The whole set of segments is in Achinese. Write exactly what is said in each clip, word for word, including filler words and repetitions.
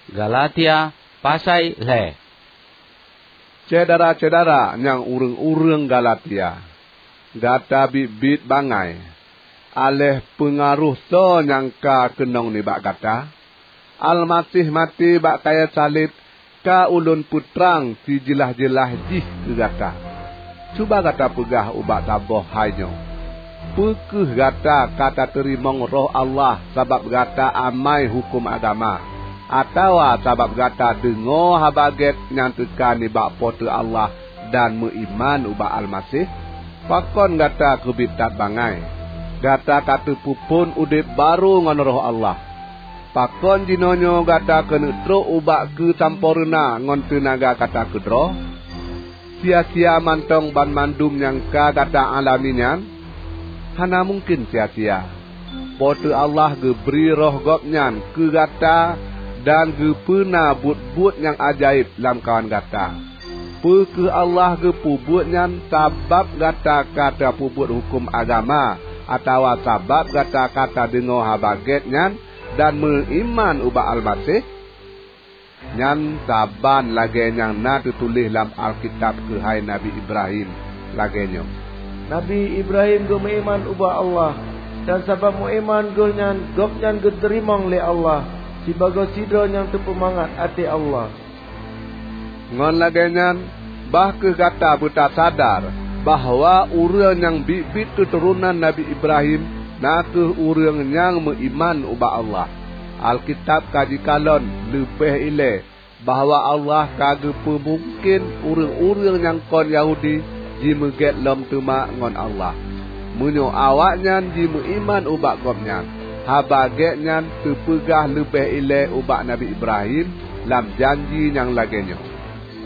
Galatia pasai lhée. Syedara-syedara nyang ureuëng-ureuëng Galatia, gata biet-biet bangai! Aléh peungaroh soe nyang ka keunong nibak gata? Almaseh maté bak kayée saleb ka ulôn peutrang sijeulaih-jeulaih jih keu gata. Cuba gata peugah ubak saboh hai nyoe, "Peu kheueh gata ka tateurimong Roh Allah sabab gata amai huköm agama, atawa sabab gata deungoe Haba Gét nyang teuka nibak Po teu Allah dan meuiman ubak Almaseh?" Pakon gata keubiet that bangai? Gata ka teupeuphon udeb barô ngon Roh Allah. Pakon jinoenyoe gata keuneuk trok ubak keusampoereuna ngon teunaga gata keudroe? Sia-sia mantong banmandum nyang ka gata alami nyan? Hana mungken sia-sia! Po teu Allah geubri Roh Gobnyan keu gata dan geupeuna buet-buet nyang ajaéb lamkawan gata. Peu kheueh Allah geupeubuet nyan sabab gata ka tapeubuet huköm agama, atawa sabab gata ka tadeungoe Haba Gét nyan dan meuiman ubak Almaseh? Nyan saban lagée nyang na teutuléh lam Alkitab keuhai Nabi Ibrahim, lagée nyoe, "Nabi Ibrahim geumeuiman ubak Allah, dan sabab meuiman geuh nyan gobnyan geuteurimong lé Allah sibagoe sidroe nyang teupeumangat até Allah." Ngon lagée nyan, bah kheueh gata beutasadar bahwa ureuëng nyang biet-biet keuturonan Nabi Ibrahim na kheueh ureuëng nyang meuiman ubak Allah. Alkitab ka jikalon leubeh ilée bahwa Allah ka geupeu mungken ureuëng-ureuëng nyang kon Yahudi jimeugét lom teuma ngon Allah, meunyoe awaknyan jimeuiman ubak Gobnyan. Haba Gét nyan teupeugah leubeh ilée ubak Nabi Ibrahim lam janji nyang lagée nyoe,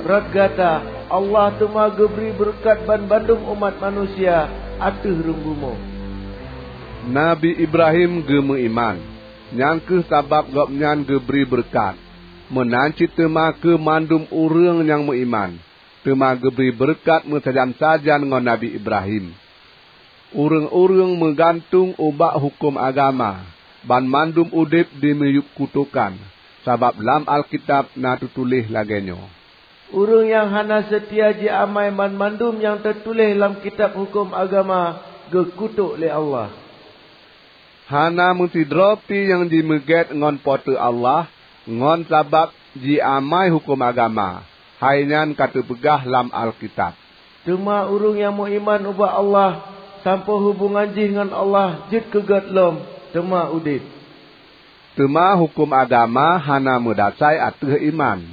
"Rot gata, Allah teuma geubri beureukat banmandum umat manusia ateueh rhueng bumoe." Nabi Ibrahim geumeuiman, nyang kheueh sabab gobnyan geubri beureukat. Meunan cit teuma keu mandum ureuëng nyang meuiman, teuma geubri beureukat meusajan-sajan ngon Nabi Ibrahim. Ureuëng-ureuëng meugantung ubak huköm agama, banmandum udeb di miyueb kutokan, sabab lam Alkitab na teutuléh lagée nyoe, "Ureuëng nyang hana seutia jiamai banmandum nyang teutuléh lam kitab huköm agama, geukutok lé Allah." Hana meusidroe pih nyang jimeugét ngon Po teu Allah ngon sabab jiamai huköm agama. Hai nyan ka teupeugah lam Alkitab, "Teuma ureuëng nyang meuiman ubak Allah, sampoe hubongan jih ngon Allah jeuet keu gét lom, teuma udeb." Teuma huköm agama hana meudasai ateueh iman.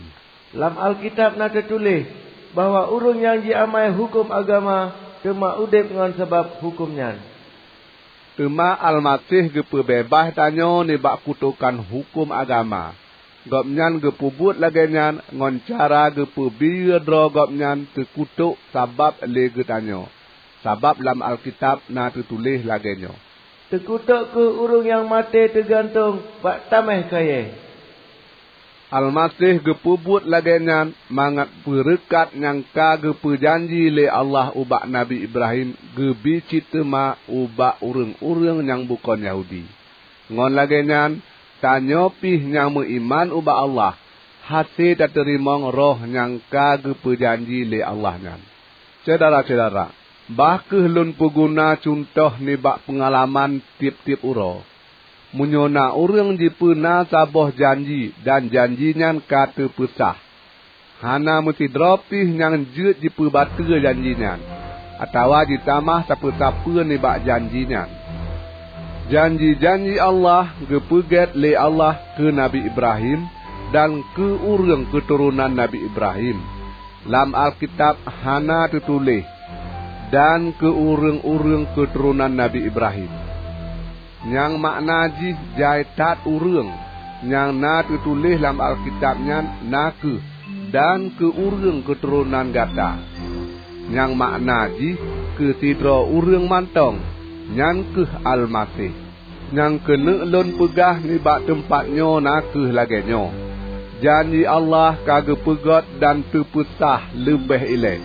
Lam Alkitab na teutuléh bahwa ureuëng nyang jiamai huköm agama teuma udeb ngon sabab huköm nyan. Teuma Almaseh geupeubeubaih tanyoe nibak kutokan huköm agama. Gobnyan geupeubuet lagée nyan ngon cara geupeubiyeu droe Gobnyan teukutok sabab lé geutanyoe. Sabab lam Alkitab na teutuléh lagée nyoe, "Teukutok kheueh ureuëng nyang maté teugantong bak taméh kayée." Almaseh geupeubuet lagée nyan mangat beureukat nyang ka geupeujanji lé Allah ubak Nabi Ibrahim geubi cit teuma ubak ureuëng-ureuëng nyang bukon Yahudi. Ngon lagée nyan, tanyoe pih nyang meuiman ubak Allah hase tateurimong Roh nyang ka geupeujanji lé Allah nyan. Syedara-syedara, bah kheueh lôn peuguna cuntoh nibak peungalaman tieb-tieb uroe. Meunyoe na ureuëng jipeuna saboh janji dan janji nyan ka teupeusah, hana meusidroe pih nyang jeuet jipeubateue janji nyan, atawa jitamah sapeue-sapeue nibak janji nyan. Janji-janji Allah geupeugét lé Allah keu Nabi Ibrahim dan keu ureuëng keuturonan Nabi Ibrahim. Lam Alkitab hana teutuléh, "Dan keu ureuëng-ureuëng keuturonan Nabi Ibrahim." Nyang makna jih jai that ureuëng. Nyang na teutuléh lam Alkitab nyan na kheueh, "Dan keu ureuëng keuturonan gata." Nyang makna jih keu sidroe ureuëng mantong, nyan kheueh Almaseh. Nyang keuneuk lôn peugah nibak teumpat nyoe na kheueh lagée nyoe, janji Allah ka geupeugét dan teupeusah leubeh ilée.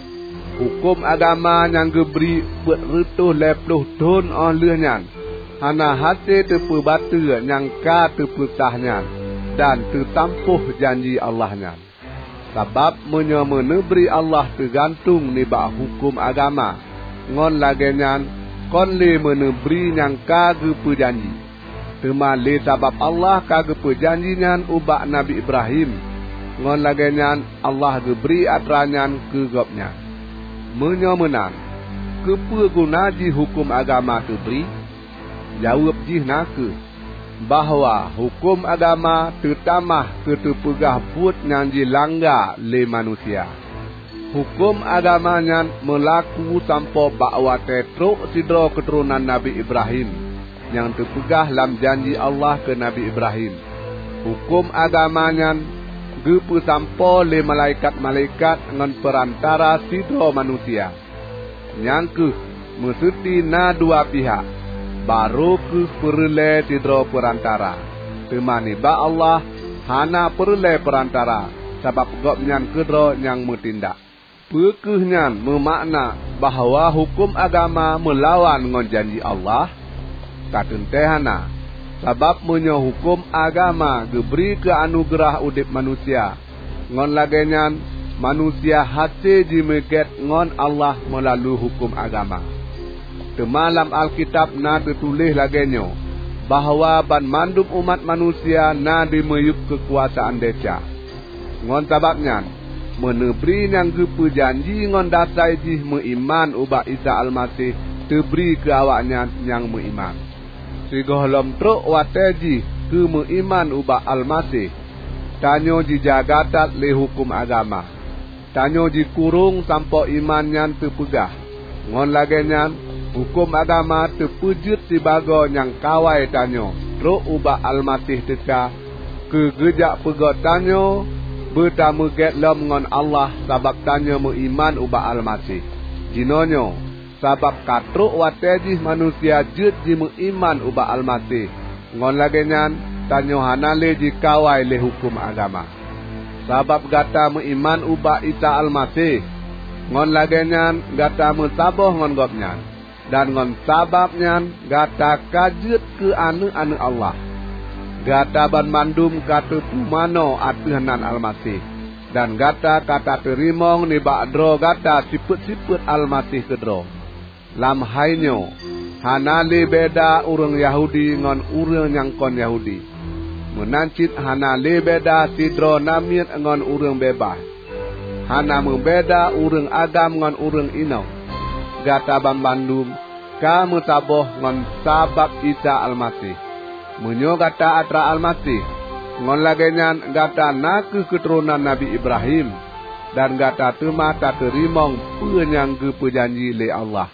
Huköm agama nyang geubri peuet reutôh lhée ploh thon óh lheueh nyan hana hase teupeubateue nyang ka teupeusah nyan. dan teusampôh janji Allah nyan. Sabab meunyoe meuneubri Allah teugantung nibak huköm agama, ngon lagée nyan kon lé meuneubri nyang ka geupeujanji. Teuma lé sabab Allah ka geupeujanji nyan ubak Nabi Ibrahim, ngon lagée nyan Allah geubri atra nyan keu gobnyan. Meunyoe meunan, keupeue guna jih huköm agama teubri? Jaweueb jih na kheueh, bahwa huköm agama teutamah keu teupeugah buet nyang jilangga lé manusia. Huköm agama nyan meulaku sampoe bak watée trok sidroe keuturonan Nabi Ibrahim, nyang teupeugah lam janji Allah keu Nabi Ibrahim. Huköm agama nyan geupeusampoe lé malaikat-malaikat ngon peurantara sidroe manusia. Nyang kheueh, meuseuti na dua pihak, barô kheueh peureulée sidroe peurantara. Teuma nibak Allah hana peureulée peurantara, sabab Gobnyan keudroe nyang meutindak. Peu kheueh nyan meumakna bahwa huköm agama meulawan ngon janji Allah? Ka teuntée hana! Sabab meunyoe huköm agama geubri keu anugeurah udeb manusia, ngon lagée nyan manusia hase jimeugét ngon Allah meulalu huköm agama. Teuma lam Alkitab na teutuléh lagée nyoe, bahwa banmandum umat manusia na dimiyueb keukuasaan desya. Ngon sabab nyan, meuneubri nyang geupeujanji ngon dasai jih meuiman ubak Isa Almaseh teubri keu awaknyan nyang meuiman. Sigohlom trok watée jih keu meuiman ubak Almaseh, tanyoe jijaga that lé huköm agama. Tanyoe jikurong sampoe iman nyan teupeugah. Ngon lagée nyan, huköm agama teupeujeuet sibagoe nyang kawai tanyoe trok ubak Almaseh teuka keu geujak peugét tanyoe beutameugét lom ngon Allah sabab tanyoe meuiman ubak Almaseh. Jinoenyoe, sabab ka trok watée jih manusia jeuet jimeuiman ubak Almaseh, ngon lagée nyan tanyoe hana lé jikawai lé huköm agama. Sabab gata meuiman ubak Isa Almaseh, ngon lagée nyan gata meusaboh ngon Gobnyan, dan ngon sabab nyan gata ka jeuet keu aneuëk-aneuëk Allah. Gata banmandum ka teupumanö ateueh nan Almaseh, dan gata ka tateurimong nibak droe gata sifeuet-sifeuet Almaseh keudroe. Lam hai nyoe, hana lé beda ureuëng Yahudi ngon ureuëng nyang kon Yahudi, meunan cit hana lé beda sidroe namiet ngon ureuëng beubaih. Hana meubeda ureuëng agam ngon ureuëng inong. Gata banmandum ka meusaboh ngon sabab Isa Almaseh. Meunyoe gata atra Almaseh, ngon lagée nyan gata na kheueh keuturonan Nabi Ibrahim, dan gata teuma tateurimong peue nyang geupeujanji lé Allah.